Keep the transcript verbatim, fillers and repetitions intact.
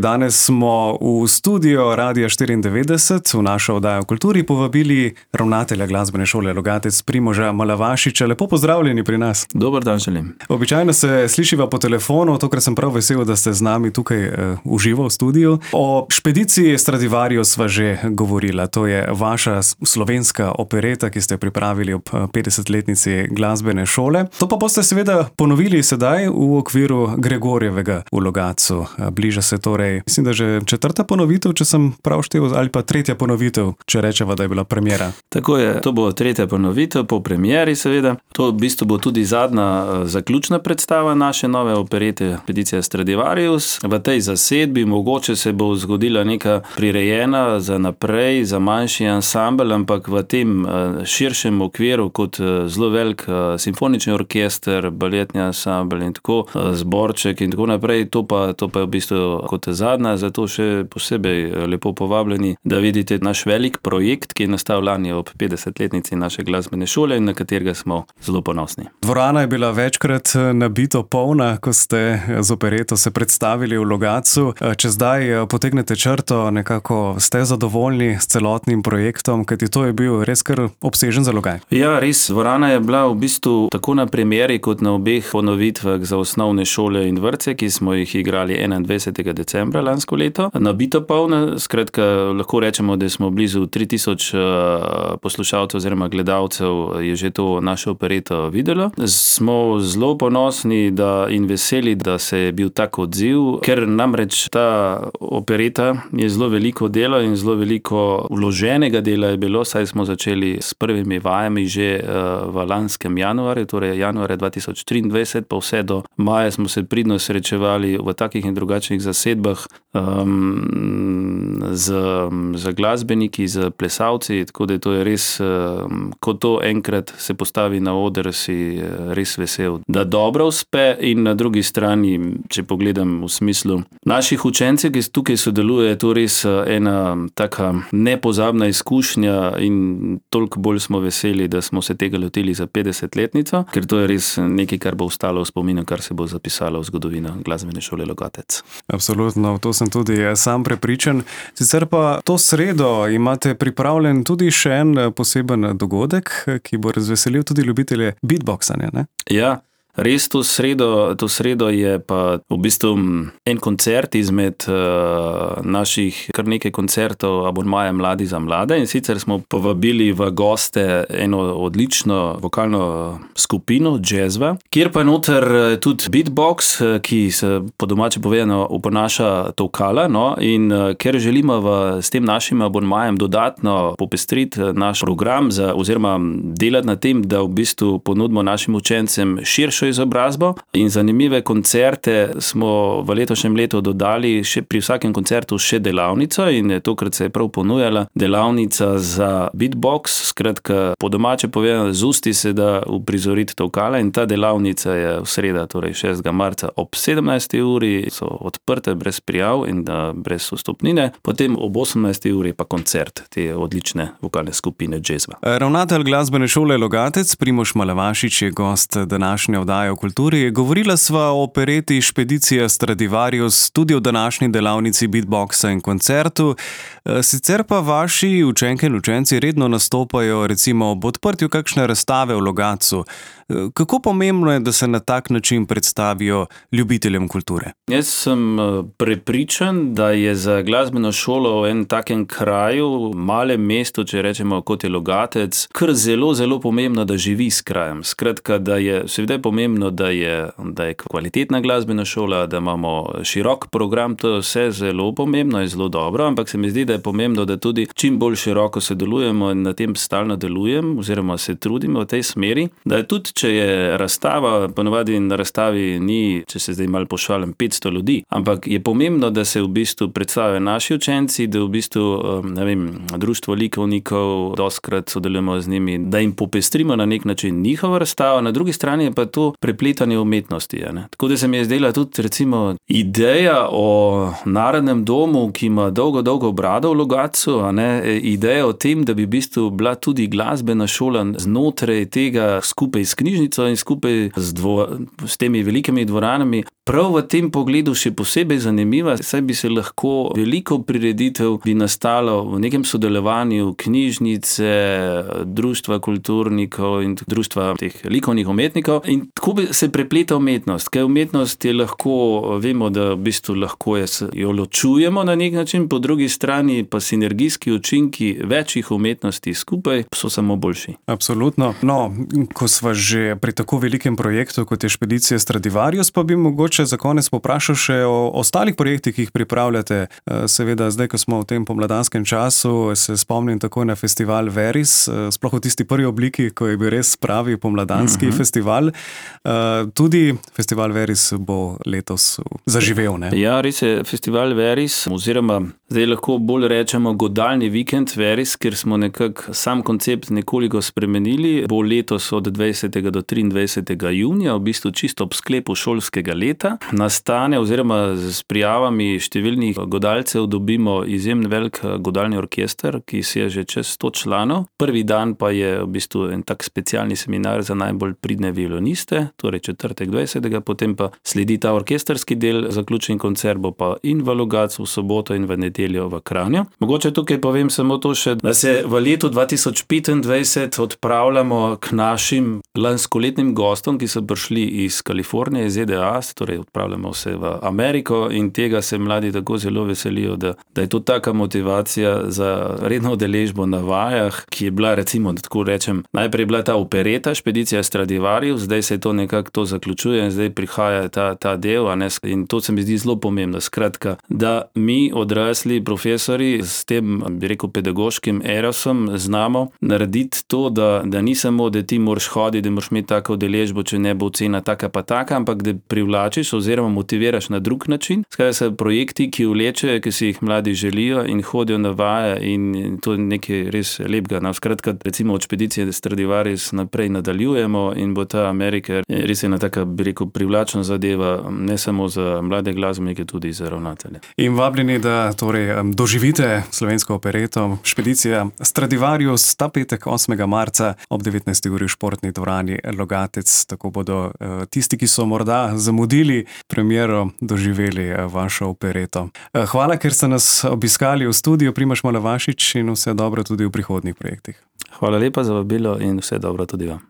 Danes smo v studio Radia štiriindevetdeset v našo oddajo o kulturi povabili ravnatelja glasbene šole Logatec Primoža Malavašiča. Lepo pozdravljeni pri nas. Dober dan želim. Običajno se slišiva po telefonu, tokrat sem prav vesel, da ste z nami tukaj uh, v živo v studiu. O špediciji Stradivarius sva že govorila. To je vaša slovenska opereta, ki ste pripravili ob petdesetletnici glasbene šole. To pa boste seveda ponovili sedaj v okviru Gregorjevega v Logatcu. Bliža se torej, mislim, da že četrta ponovitev, če sem prav štel, ali pa tretja ponovitev, če rečeva, da je bila premiera. Tako je, to bo tretja ponovitev po premieri seveda. To v bistvu bo tudi zadnja zaključna predstava naše nove operete Špedicija Stradivarius. V tej zasedbi mogoče se bo zgodila neka prirejena za naprej, za manjši ansambel, ampak v tem širšem okviru kot zelo velik simfonični orkester, baletni ansambel in tako, zborček in tako naprej, to pa, to pa je v bistvu kot zadnja, zato še posebej lepo povabljeni, da vidite naš velik projekt, ki je nastal lani ob petdesetletnici naše glasbene šole in na katerega smo zelo ponosni. Dvorana je bila večkrat nabito polna, ko ste z opereto se predstavili v Logatcu. Če zdaj potegnete črto, nekako ste zadovoljni s celotnim projektom, kajti to je bil res kar obsežen zalogaj. Ja, res, dvorana je bila v bistvu tako na premieri kot na obeh ponovitvah za osnovne šole in vrtce, ki smo jih igrali enaindvajsetega decembra lansko leto. Nabito polna, skratka, lahko rečemo, da smo blizu tri tisoč poslušalcev oziroma gledalcev je že to našo opereto videlo. Smo zelo ponosni da in veseli, da se je bil tak odziv, ker namreč ta opereta je zelo veliko dela in zelo veliko vloženega dela je bilo, saj smo začeli s prvimi vajami že v lanskem januarju, torej januarja dva tisoč triindvajset, pa vse do maja smo se pridno srečevali v takih in drugačnih zasedbah um, z, z glasbeniki, z plesalci, tako da to je res, um, ko to enkrat se postavi na oder, si res vesel, da dobro uspe. In na drugi strani, če pogledam v smislu naših učencev, ki tukaj sodeluje, je to res ena taka nepozabna izkušnja in toliko bolj smo veseli, da smo se tega lotili za petdesetletnico, ker to je res nekaj, kar bo ostalo v spominu, kar se bo zapisalo v zgodovino glasbene šole Logatec. Absolutno, to sem tudi sam prepričan. Sicer pa to sredo imate pripravljen tudi še en poseben dogodek, ki bo razveselil tudi ljubitelje beatboxanja, ne? Ja. Res to sredo, to sredo je pa v bistvu en koncert izmed uh, naših kar nekaj koncertov abonmaja Mladi za mlade, in sicer smo povabili v goste eno odlično vokalno skupino Jazzva, kjer pa noter tudi beatbox, ki se po domače povedano uponaša tolkala, no, in uh, ker želimo v, s tem našim abonmajem dodatno popestriti naš program za, oziroma delati na tem, da v bistvu ponudimo našim učencem širšo izobrazbo in zanimive koncerte, smo v letošnjem letu dodali še pri vsakem koncertu še delavnico in tokrat se je prav ponujala delavnica za beatbox, skratka po domače povedano, z usti se da uprizoriti tolkala, in ta delavnica je v sredo, torej šestega marca ob sedemnajsti uri, so odprte brez prijav in da brez vstopnine, potem ob osemnajsti uri pa koncert te odlične vokalne skupine Jazzva. Ravnatelj glasbene šole Logatec Primož Malavašič je gost današnje oddaje o kulturi. Govorila sva o opereti Špedicija Stradivarius tudi o današnji delavnici beatboxa in koncertu. Sicer pa vaši učenke in učenci redno nastopajo recimo ob odprtju kakšne razstave v Logatcu. Kako pomembno je, da se na tak način predstavijo ljubiteljem kulture? Jaz sem prepričan, da je za glasbeno šolo v enem takem kraju, malem mestu, če rečemo, kot je Logatec, kar zelo, zelo pomembno, da živi s krajem. Skratka, da je seveda pomembno, da je, da je kvalitetna glasbena šola, da imamo širok program, to je vse zelo pomembno in zelo dobro, ampak se mi zdi, da je pomembno, da tudi čim bolj široko sodelujemo in na tem stalno delujem, oziroma se trudimo v tej smeri, da je tudi, če je razstava, ponovadi na razstavi ni, če se zdaj malo pošalim, petsto ljudi, ampak je pomembno, da se v bistvu predstavijo naši učenci, da v bistvu, ne vem, društvo likovnikov, doskrat sodelujemo z njimi, da jim popestrimo na nek način njihovo razstavo, na drugi strani je pa to prepletanje umetnosti. Ne? Tako da se mi je zdela tudi recimo ideja o Narodnem domu, ki ima dolgo, dolgo brado v Logatcu, a ne? Ideja o tem, da bi v bistvu bila tudi glasbena šola znotraj tega skupaj s knjižnico in skupaj z, dvo, s temi velikimi dvoranami prav v tem pogledu še posebej zanimiva, saj bi se lahko veliko prireditev bi nastalo v nekem sodelovanju knjižnice, društva kulturnikov in društva teh likovnih umetnikov in tako bi se prepleta umetnost, ker umetnost je lahko, vemo, da v bistvu lahko je, jo ločujemo na nek način, po drugi strani pa sinergijski učinki večjih umetnosti skupaj so samo boljši. Absolutno. No, ko sva že pri tako velikem projektu, kot je Špedicija Stradivarius, pa bi mogoče za konec poprašal še o ostalih projektih, ki jih pripravljate. Seveda, zdaj, ko smo v tem pomladanskem času, se spomnim tako na festival Veris, sploh v tisti prvi obliki, ko je bil res pravi pomladanski mm-hmm. festival. Tudi festival Veris bo letos zaživel, ne? Ja, res je, festival Veris, oziroma zdaj lahko bolj rečemo godalni vikend Veris, ker smo nekako sam koncept nekoliko spremenili, bo letos od dvajsetega do triindvajsetega junija, v bistvu čisto ob sklepu šolskega leta. Nastane oziroma s prijavami številnih godalcev dobimo izjemen velik godalni orkester, ki si je že čez sto članov. Prvi dan pa je v bistvu en tak specialni seminar za najbolj pridne violiniste, torej četrtek dvajsetega, potem pa sledi ta orkesterski del, zaključen koncert bo pa in v Logatcu v soboto in v nedeljo v Kranju. Mogoče tukaj povem samo to še, da se v letu dva tisoč petindvajset odpravljamo k našim lanskoletnim gostom, ki so prišli iz Kalifornije, iz Z D A, torej odpravljamo se v Ameriko in tega se mladi tako zelo veselijo, da, da je to taka motivacija za redno udeležbo na vajah, ki je bila, recimo, da tako rečem, najprej bila ta opereta Špedicija Stradivarius, zdaj se to nekako to zaključuje in zdaj prihaja ta, ta del, a ne, in to se mi zdi zelo pomembno, skratka, da mi odrasli profesori s tem, bi rekel, pedagoškim erosom znamo narediti to, da, da ni samo, da ti moraš hoditi, da moraš imeti tako udeležbo, če ne bo cena taka pa taka, ampak da privlačiš oziroma motiviraš na drug način. Skratka, so projekti, ki vlečejo, ki si jih mladi želijo in hodijo na vaje in to je nekaj res lepega. No, skratka, recimo od Špedicije Stradivarius naprej nadaljujemo in bo ta Amerika res ena taka, bi rekel, privlačna zadeva, ne samo za mlade glasbenike, tudi za ravnatelje. In vabljeni, da torej doživite slovensko opereto Špedicija Stradivarius ta petek osmega marca ob devetnajsti uri v športni dvorani Logatec. Tako bodo tisti, ki so morda zamudili premiero, doživeli vašo opereto. Hvala, ker ste nas obiskali v studiu, Primož Malavašič, in vse dobro tudi v prihodnjih projektih. Hvala lepa za vabilo in vse dobro tudi vam.